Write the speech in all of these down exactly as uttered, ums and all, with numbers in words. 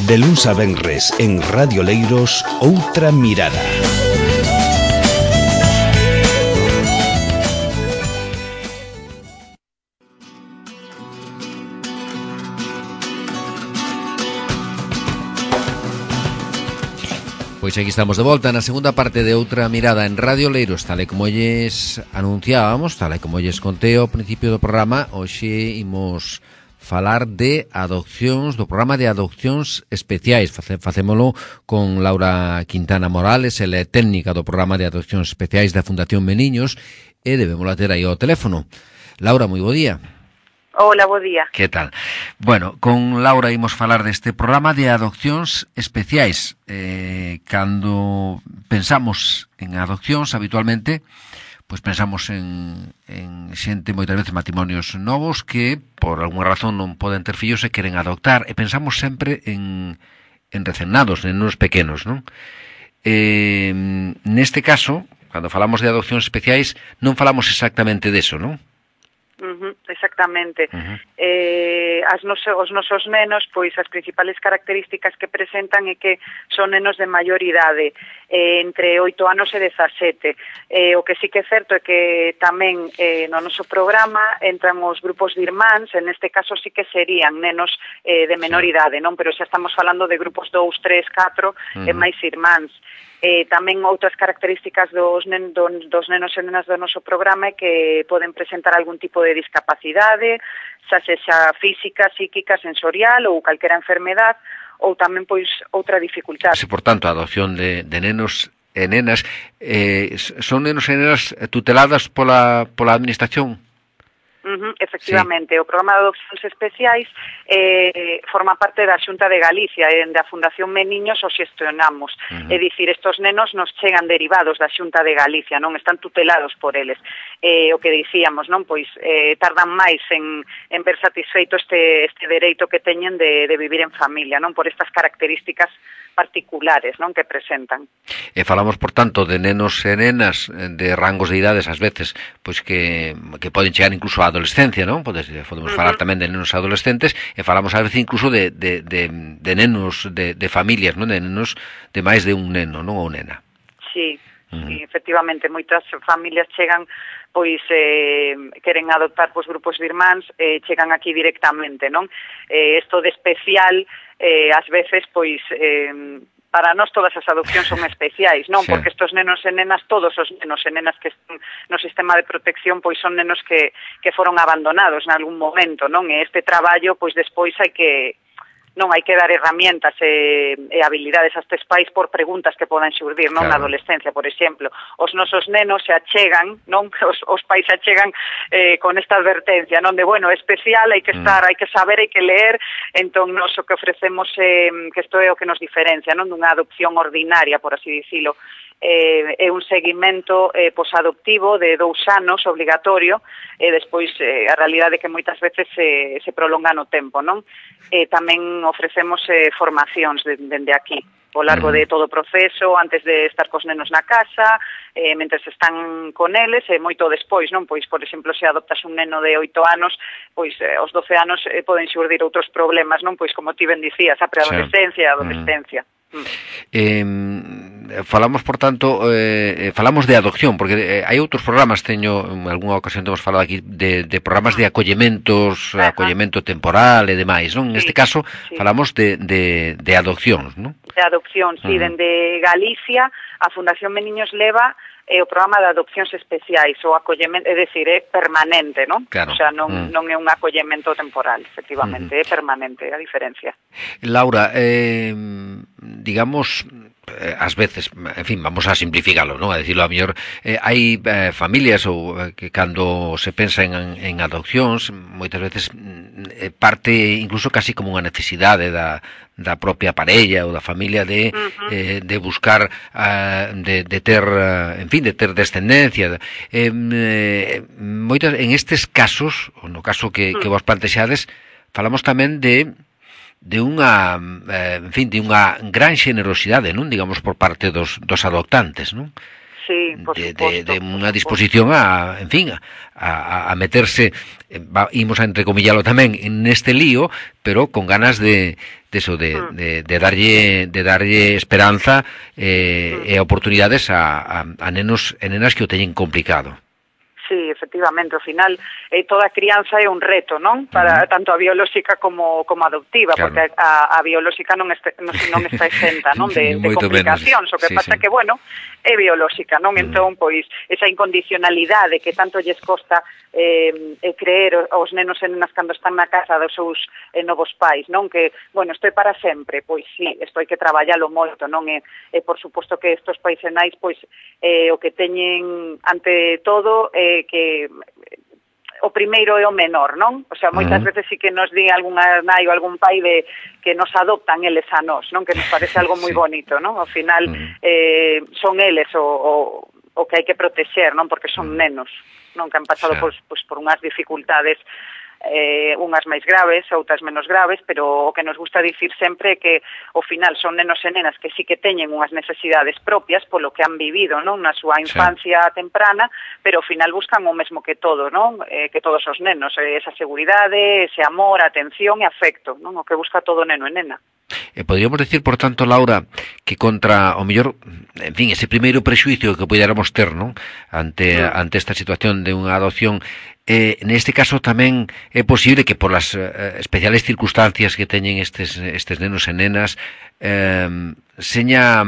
De luns a venres en Radio Leiros, Outra Mirada. Pois aquí estamos de volta na segunda parte de Outra Mirada en Radio Leiros, tal e como lles anunciábamos, tal e como lles contei ao principio do programa. Hoxe imos falar de adopcións, do programa de adopcións especiais. Face, facémolo con Laura Quintana Morales, ela é técnica do programa de adopcións especiais da Fundación Meniños, e debemos ter aí ao teléfono. Laura, moi bo día. Hola, bo día. Que tal? Bueno, con Laura imos falar deste programa de adopcións especiais. Eh, cando pensamos en adopcións habitualmente, pois pensamos en, en xente, moitas veces matrimonios novos que por alguna razón non poden ter fillos e queren adoptar, e pensamos sempre en, en recennados, en nenos pequenos, non? Eh, neste caso, cando falamos de adopcións especiais, non falamos exactamente deso, non? Uh-huh, exactamente. Uh-huh. Eh, as noso, os nosos nenos, pois as principales características que presentan é que son nenos de maior idade, eh, entre oito anos e dezasete. Eh, o que sí que é certo é que tamén eh, no noso programa entran os grupos de irmáns, en este caso sí que serían nenos eh, de menor sí. idade, non? Pero xa estamos falando de grupos dous, tres, catro uh-huh. e máis irmáns. Eh, tamén outras características dos, nen, do, dos nenos e nenas do noso programa é que poden presentar algún tipo de discapacidade, xa sexa física, psíquica, sensorial ou calquera enfermedad, ou tamén pois outra dificultad. Sí, por tanto, a adopción de, de nenos e nenas, eh, son nenos e nenas tuteladas pola, pola administración? Uh-huh, efectivamente, sí. O programa de adopcións especiais eh, forma parte da Xunta de Galicia e da Fundación Meniños o xestionamos. Uh-huh. É dicir, estos nenos nos chegan derivados da Xunta de Galicia, non están tutelados por eles. Eh, o que dicíamos, non, pois eh, tardan máis en, en ver satisfeito este, este dereito que teñen de, de vivir en familia, non, por estas características particulares, non, que presentan. E falamos, por tanto, de nenos e nenas de rangos de idades, ás veces, pois que, que poden chegar incluso á adolescencia, non? Podemos, podemos uh-huh. falar tamén de nenos adolescentes, e falamos ás veces incluso de, de, de, de nenos de, de familias, non? De nenos de máis de un neno, non? Ou nena. Sí, uh-huh. sí, efectivamente, moitas familias chegan pois eh, queren adoptar pois grupos de irmáns, eh, chegan aquí directamente, non? Eh, esto de especial, eh, ás veces, pois, eh, para nós todas as adopcións son especiais, non? Sí. Porque estos nenos e nenas, todos os nenos e nenas que están no sistema de protección, pois son nenos que, que foron abandonados en algún momento, non? E este traballo, pois despois hai que... non hai que dar herramientas e, e habilidades a estes pais por preguntas que podan xurdir, non, claro. Na adolescencia, por exemplo. Os nosos nenos se achegan, non, os, os pais se achegan eh, con esta advertencia, non, de, bueno, especial, hai que estar, mm. hai que saber, hai que leer, entón, nos o que ofrecemos, eh, que isto é o que nos diferencia, non, dunha adopción ordinaria, por así dicilo, eh, é un seguimento eh, posadoptivo de dous anos obligatorio, e despois eh, a realidade é que moitas veces se, se prolonga no tempo, non? E tamén ofrecemos eh, formacións dende de, de aquí, ao largo de todo o proceso, antes de estar cos nenos na casa, eh, mentres están con eles, e moito despois, non? Pois, por exemplo, se adoptas un neno de oito anos, pois eh, aos doce anos eh, poden xurdir outros problemas, non? Pois, como ti ben dicías, a preadolescencia e a adolescencia. Mm. Eh, falamos, por tanto, eh, falamos de adopción, porque eh, hai outros programas, teño en algunha ocasión temos falado aquí de, de programas de acollementos, Ajá. acollemento temporal e demais, non? Sí, neste caso sí. falamos de, de, de adopcións, non? De adopción, sí, uh-huh. dende Galicia a Fundación Meniños leva é o programa de adopcións especiais, o acollemento, é dicir, é permanente, non? Claro. O sea, non, mm. non é un acollemento temporal, efectivamente, mm. é permanente, a diferencia. Laura, eh, digamos, eh, ás veces, en fin, vamos a simplificarlo, non? A decirlo a mellor, eh, hai eh, familias ou eh, que cando se pensa en, en adopcións, moitas veces eh, parte incluso casi como unha necesidade da da propia parella ou da familia de uh-huh. eh, de buscar uh, de, de ter, uh, en fin, de ter descendencia. Eh, eh, moitas en estes casos, ou no caso que, uh-huh. que vos plantexades, falamos tamén de de unha, eh, en fin, de unha gran xenerosidade, non? Digamos, por parte dos, dos adoptantes, non? sí, por de, suposto, de, de unha disposición a, en fin, a, a meterse, va, imos a entrecomillalo tamén neste lío, pero con ganas de, de eso, de, mm. de, de darlle de darlle esperanza eh, mm. e oportunidades a, a, a nenos e nenas que o teñen complicado. Sí, efectivamente, ao final eh, toda crianza é un reto, non? Para uh-huh. tanto a biolóxica como como adoptiva, claro. Porque a, a biolóxica non, este, non, non está exenta, non, de, de complicacións, o que sí, pasa sí. que, bueno, é biolóxica, non? Uh-huh. Entón, pois, esa incondicionalidade que tanto lles costa eh, creer aos nenos e nenas cando están na casa dos seus eh, novos pais, non? Que, bueno, estou para sempre, pois sí, isto hai que traballalo moito, non? E, e por suposto que estos pais e nais, pois, eh, o que teñen ante todo eh, que o primeiro é o menor, non? O sea, moitas uh-huh. veces sí que nos di algunha nai ou algún pai de que nos adoptan eles a nós, non? Que nos parece algo moi sí. bonito, non? Ao final uh-huh. eh, son eles o, o, o que hai que protexer, non? Porque son uh-huh. nenos, non? Que han pasado sí. pues, pues, por unhas dificultades eh, unhas máis graves, outras menos graves, pero o que nos gusta dicir sempre é que ao final son nenos e nenas que sí que teñen unhas necesidades propias polo que han vivido, non, na súa infancia sí. temprana, pero ao final buscan o mesmo que todo, non, eh, que todos os nenos, eh, esa seguridade, ese amor, atención e afecto, non, o que busca todo neno e nena. Eh, podríamos decir, por tanto, Laura, que contra o mellor, en fin, ese primeiro prexuicio que puidéramos ter, non, ante sí. ante esta situación de unha adopción, eh, neste caso tamén é posible que por las eh, especiales circunstancias que teñen estes estes nenos e nenas eh, seña,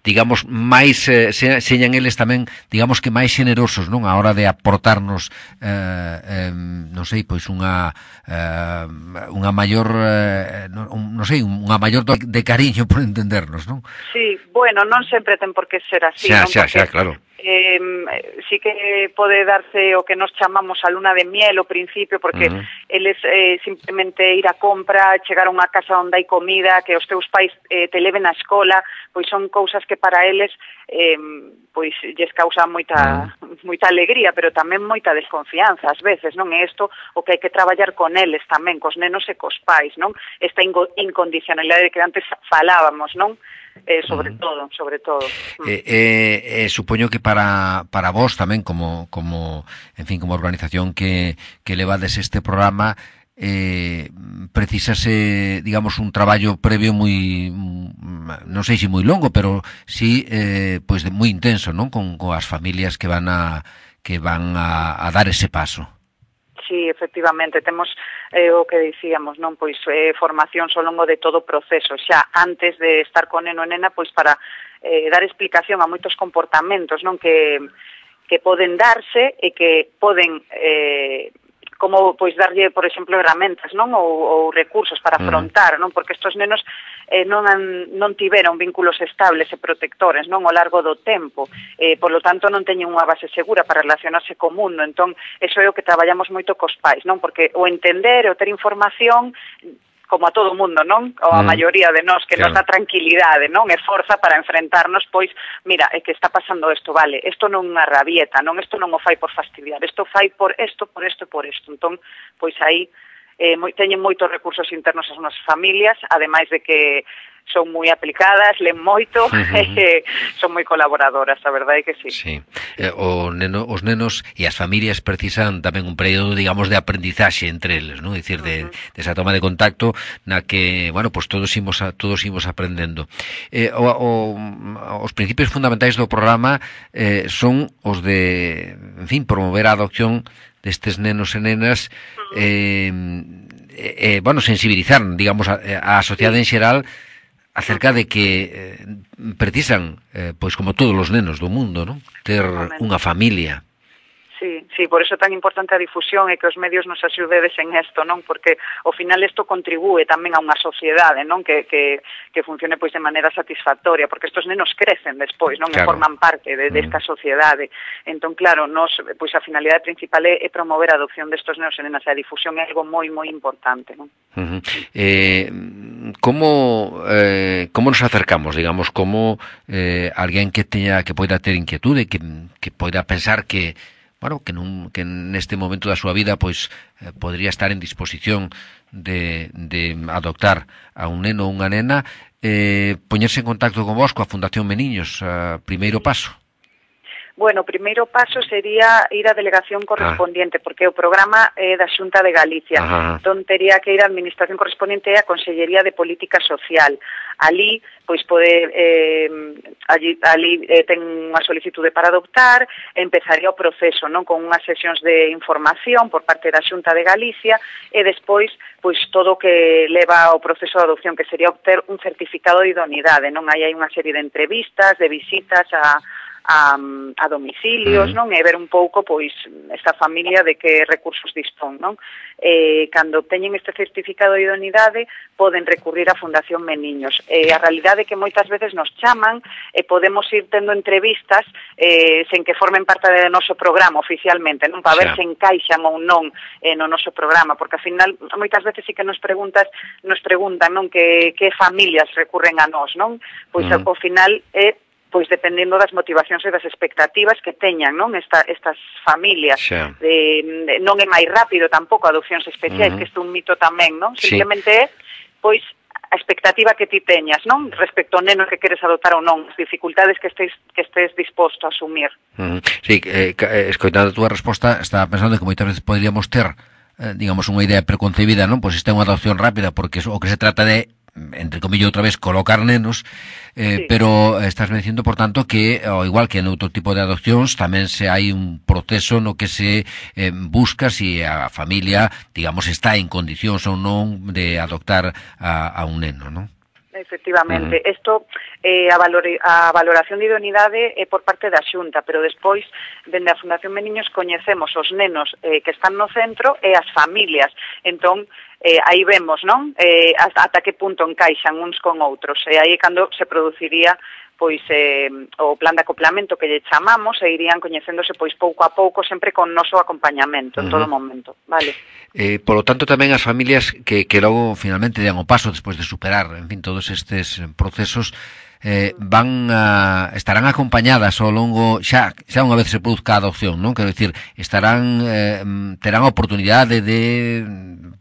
digamos, máis eh, se, señan eles tamén, digamos que máis generosos, non, a hora de aportarnos eh, eh, non sei, pois unha eh, unha maior eh, non, non sei, unha maior do de cariño, por entendernos, non? Sí, bueno, non sempre ten por que ser así, xa, non? Xa, Porque... xa, claro. Eh, sí que pode darse o que nos chamamos a luna de miel ao principio, porque uh-huh. eles eh, simplemente ir a compra, chegar a unha casa onde hai comida, que os teus pais eh, te leven á escola, pois son cousas que para eles eh, pois lles causa moita uh-huh. moita alegría, pero tamén moita desconfianza ás veces, non? É isto o que hai que traballar con eles tamén, cos nenos e cos pais, non? Esta incondicionalidade que antes falábamos, non? Eh, sobre mm. todo, sobre todo. Eh, eh, eh, supoño que para para vos tamén como como, en fin, como organización que que levades este programa, eh, precisase, digamos, un traballo previo moi, non sei se moi longo, pero sí eh, pois de moi intenso, non? Con coas familias que van a que van a, a dar ese paso. Sí, efectivamente, temos eh, o que dicíamos, non, pois eh, formacións ao longo de todo o proceso, xa antes de estar con neno e nena, pois para eh, dar explicación a moitos comportamentos, non, que que poden darse e que poden eh, como pois darlle, por exemplo, herramentas, non, ou, ou recursos para afrontar, non, porque estos nenos eh, non han, non tiveron vínculos estables e protectores, non, ao largo do tempo, eh, por lo tanto non teñen unha base segura para relacionarse co mundo, entón, eso é o que traballamos moito cos pais, non, porque o entender, o ter información, como a todo o mundo, non? Ou a mm. maioría de nós que claro. Nos dá tranquilidade, non? E forza para enfrentarnos, pois, mira, é que está pasando isto, vale, isto non é unha rabieta, non? Isto non o fai por fastidiar, isto fai por isto, por isto e por isto. Entón, pois aí eh, moi, teñen moitos recursos internos as nosas familias, ademais de que son moi aplicadas, len moito, uh-huh. e son moi colaboradoras, a verdade é que sí. Sí. Eh, o neno, os nenos e as familias precisan tamén un período, digamos, de aprendizaxe entre eles, non? É dicir, de, uh-huh. de esa toma de contacto na que, bueno, pues todos imos a, todos imos aprendendo. Eh, o, o, os principios fundamentais do programa eh, son os de, en fin, promover a adopción destes nenos e nenas, uh-huh. eh, eh, bueno, sensibilizar, digamos, a, a sociedade en xeral acerca de que eh, precisan, eh, pois como todos os nenos do mundo, non? Ter unha familia. Sí, sí, por eso é tan importante a difusión e que os medios nos axudedes en isto, non? Porque ao final isto contribúe tamén a unha sociedade, non? Que, que, que funcione pois de maneira satisfactoria, porque estos nenos crecen despois, non? Claro. E forman parte de, de esta sociedade. Entón, claro, nos, pois a finalidade principal é, é promover a adopción destos nenos e nenas, e a difusión é algo moi, moi importante, non? Uh-huh. Eh, como eh, como nos acercamos, digamos, como eh, alguén que teña que poida ter inquietude, que, que poida pensar que bueno, que, nun, que neste momento da súa vida pois eh, podría estar en disposición de, de adoptar a un neno ou unha nena, eh, poñerse en contacto con vos, coa Fundación Meniños, a primeiro paso. Bueno, o primeiro paso sería ir á delegación correspondiente, ah. porque o programa é da Xunta de Galicia. Ajá. Entón, tería que ir á administración correspondiente e á Consellería de Política Social. Ali, pois, pode, eh, ali, ali eh, ten unha solicitude para adoptar, empezaría o proceso, non, con unhas sesións de información por parte da Xunta de Galicia, e despois, pois, todo o que leva ao proceso de adopción, que sería obter un certificado de idoneidade, non? Aí hai unha serie de entrevistas, de visitas a a, a domicilios, non? E ver un pouco, pois, esta familia de que recursos dispón, non? Eh, cando obteñen este certificado de idoneidade, poden recurrir á Fundación Meniños. Eh, a realidade é que moitas veces nos chaman e podemos ir tendo entrevistas eh, sen que formen parte do noso programa oficialmente, non? Para ver se encaixan ou non eh, no noso programa, porque, ao final, moitas veces sí que nos preguntas, nos preguntan, non? Que, que familias recurren a nós, non? Pois, uh-huh. ao final, é eh, pois dependendo das motivacións e das expectativas que teñan, non, esta, estas familias. Xa. De, de, non é máis rápido tampouco adopcións especiais, uh-huh. que isto é un mito tamén, non? Sí. Simplemente é, pois, a expectativa que ti teñas, non? Respecto ao neno que queres adoptar ou non, as dificultades que estés, que estés disposto a asumir. Uh-huh. Sí, eh, escoitando a túa resposta, estaba pensando que moitas veces poderíamos ter, eh, digamos, unha idea preconcebida, non? Pois esta é unha adopción rápida, porque o que se trata de, entre comillas outra vez, colocar nenos, eh, sí. Pero estás me dicindo, por tanto, que ao igual que en outro tipo de adopcións tamén se hai un proceso no que se eh, busca si a familia, digamos, está en condicións ou non de adoptar a, a un neno, non? Efectivamente, isto, uh-huh. eh, a, valor, a valoración de idoneidade é por parte da Xunta, pero despois, dende a Fundación Meniños, coñecemos os nenos eh, que están no centro e as familias. Entón, eh, aí vemos, non? Eh, hasta, ata que punto encaixan uns con outros. E aí cando se produciría pois eh, o plan de acoplamento que lle chamamos, e irían coñecéndose pois pouco a pouco, sempre con noso acompañamento en uh-huh. todo momento, vale? Eh, polo tanto, tamén as familias que, que logo finalmente dan o paso despois de superar, en fin, todos estes procesos, eh, van a, estarán acompañadas ao longo, xa, xa unha vez se produzca a adopción, non? Quero dicir, estarán, eh, terán a oportunidade de,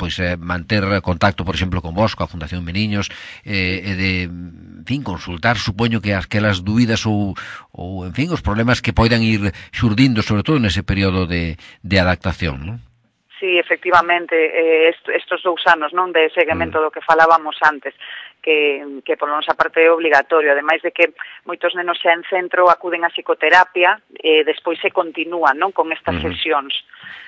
pois, eh, manter contacto, por exemplo, con vos, coa Fundación Meniños, eh, e de, en fin, consultar, supoño que aquelas dúbidas ou, ou, en fin, os problemas que poidan ir xurdindo, sobre todo nese período de, de adaptación, non? Sí, efectivamente, eh, est, estos dous anos, non, de seguimento mm. do que falábamos antes, que, que por nosa parte é obligatorio, ademais de que moitos nenos xa en centro acuden a psicoterapia e eh, despois se continúan, non, con estas mm. sesións.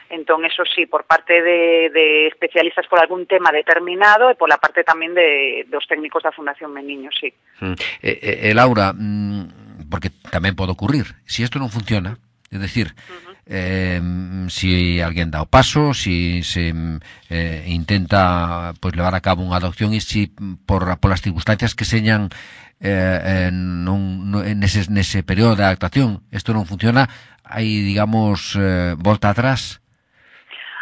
Entón, eso sí, por parte de, de especialistas por algún tema determinado e pola parte tamén de, dos técnicos da Fundación Meniños, sí. Mm. Eh, eh, Laura, mm, porque tamén pode ocurrir, se si isto non funciona, é dicir, uh-huh. Eh, si alguén dá o paso, si se eh, intenta pois levar a cabo unha adopción e si por polas circunstancias que señan eh, non, non, nese, nese período de adaptación isto non funciona, hai, digamos, eh, volta atrás?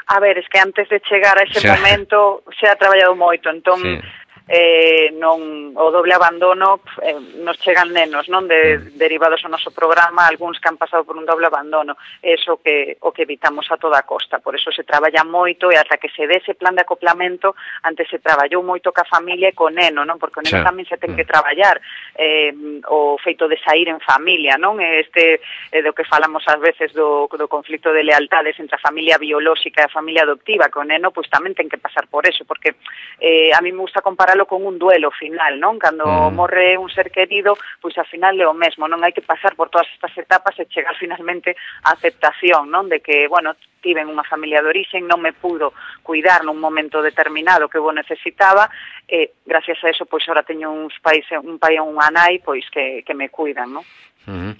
A ver, es que antes de chegar a ese xa. momento se ha traballado moito, entón sí. eh, non o doble abandono eh, nos chegan nenos, non, de, derivados ao noso programa, algúns que han pasado por un doble abandono, eso que o que evitamos a toda costa, por eso se traballa moito e ata que se dé ese plan de acoplamento, antes se traballou moito ca familia e co neno, non, porque o neno sí. tamén se ten que traballar eh, o feito de sair en familia, non, este eh, do que falamos ás veces do, do conflicto de lealtades entre a familia biolóxica e a familia adoptiva, que o neno pois tamén ten que pasar por eso, porque eh, a mí me gusta comparar con un duelo final, non? Cando mm. morre un ser querido, pois ao final é o mesmo, non hai que pasar por todas estas etapas e chegar finalmente á aceptación, non? De que, bueno, tiven unha familia de orixen, non me pudo cuidar nun momento determinado que eu necesitaba, e gracias a eso, pois, ahora teño uns pais, un pai e unha nai, pois, que, que me cuidan, non? Uh-huh.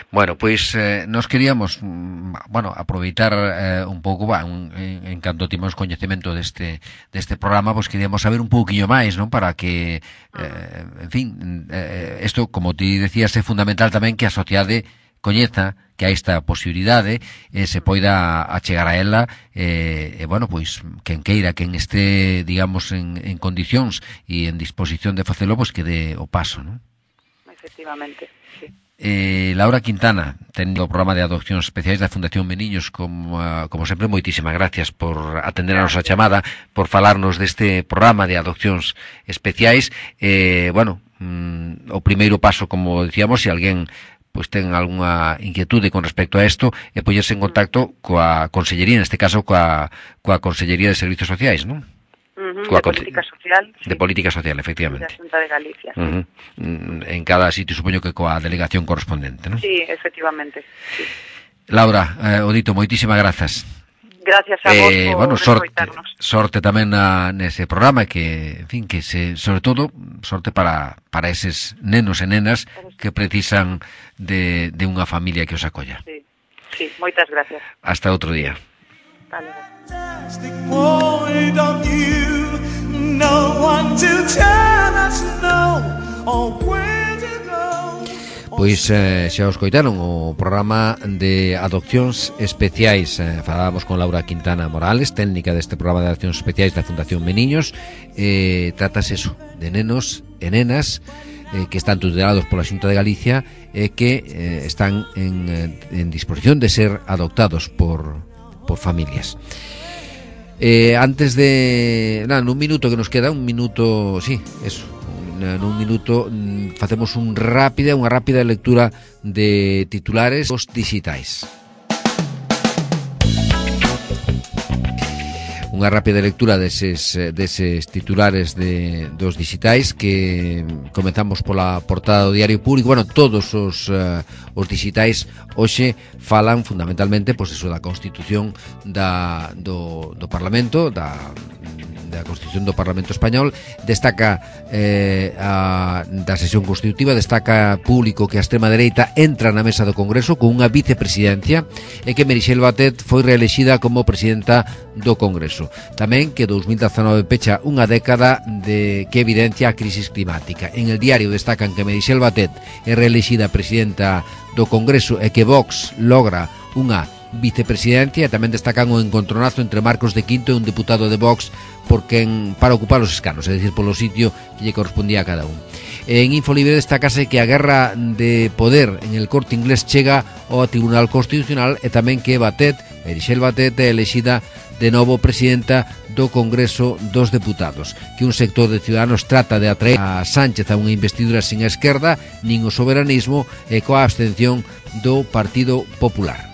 Bueno, pois eh, nos queríamos bueno, aproveitar eh, un pouco va, un, en, en canto timos coñecemento deste, deste programa, pois queríamos saber un pouquiño máis, non, para que eh, en fin, eh, isto, como ti decías, é fundamental tamén que a sociedade coñeza que hai esta posibilidade e eh, se poida achegar a ela e eh, eh, bueno, pois quen queira, quen este, digamos, en, en condicións e en disposición de facelo, pois que dé o paso, non? Efectivamente, sí. Eh, Laura Quintana, tendo o programa de adopcións especiais da Fundación Meniños, como, como sempre, moitísimas gracias por atender a nosa chamada, por falarnos deste programa de adopcións especiais. Eh, bueno, mm, o primeiro paso, como decíamos, se alguén pois ten algunha inquietude con respecto a isto, e poñerse en contacto coa Consellería, neste caso coa, coa Consellería de Servicios Sociais, non? Uh-huh, de Política Social. De sí. Política Social, efectivamente. Da Xunta de Galicia. Uh-huh. En cada sitio, supoño que coa delegación correspondente, non? Sí, efectivamente. Sí. Laura, eh, Odito, moitísimas grazas. Gracias a vos eh, por bueno, sorte, escoitarnos. sorte tamén na, nese programa que, en fin, que se, sobre todo, sorte para, para eses nenos e nenas que precisan de, de unha familia que os acolla. Sí, sí, moitas gracias. Hasta outro día. Vale. Pois eh, xa os coitaron o programa de adopcións especiais. eh, Falábamos con Laura Quintana Morales, técnica deste programa de adopcións especiais da Fundación Meniños. eh, Tratase eso, de nenos e nenas eh, que están tutelados pola Xunta de Galicia e eh, que eh, están en, en disposición de ser adoptados por, por familias. Eh, antes de... Nada, nun minuto que nos queda, un minuto, sí, eso, nun minuto facemos un rápida, unha rápida lectura de titulares os digitais. Unha rápida lectura deses, deses titulares de, dos digitais que comenzamos pola portada do Diario Público. Bueno, todos os, uh, os digitais hoxe falan fundamentalmente pois eso da Constitución da, do, do Parlamento, da da Constitución do Parlamento Español. Destaca eh, a, da sesión constitutiva, destaca público que a extrema dereita entra na mesa do Congreso con unha vicepresidencia e que Meritxell Batet foi reelexida como presidenta do Congreso. Tamén que dous mil dezanove pecha unha década de que evidencia a crisis climática. En el Diario destacan que Meritxell Batet é reelexida presidenta do Congreso e que Vox logra unha vicepresidencia, e tamén destacan o encontronazo entre Marcos de Quinto e un deputado de Vox porque en, para ocupar os escanos, é dicir, polo sitio que lle correspondía a cada un. En Infolibre destacase que a guerra de poder en el Corte Inglés chega ao Tribunal Constitucional e tamén que Batet, Meritxell Batet, é elexida de novo presidenta do Congreso dos Deputados, que un sector de ciudadanos trata de atraer a Sánchez a unha investidura sin a esquerda nin o soberanismo e coa abstención do Partido Popular.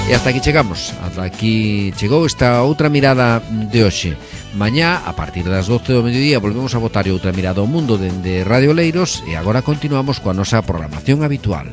E hasta aquí chegamos, hasta aquí chegou esta outra mirada de hoxe. Mañá, a partir das doce do mediodía, volvemos a botar outra mirada ao mundo dende Radio Leiros e agora continuamos coa nosa programación habitual.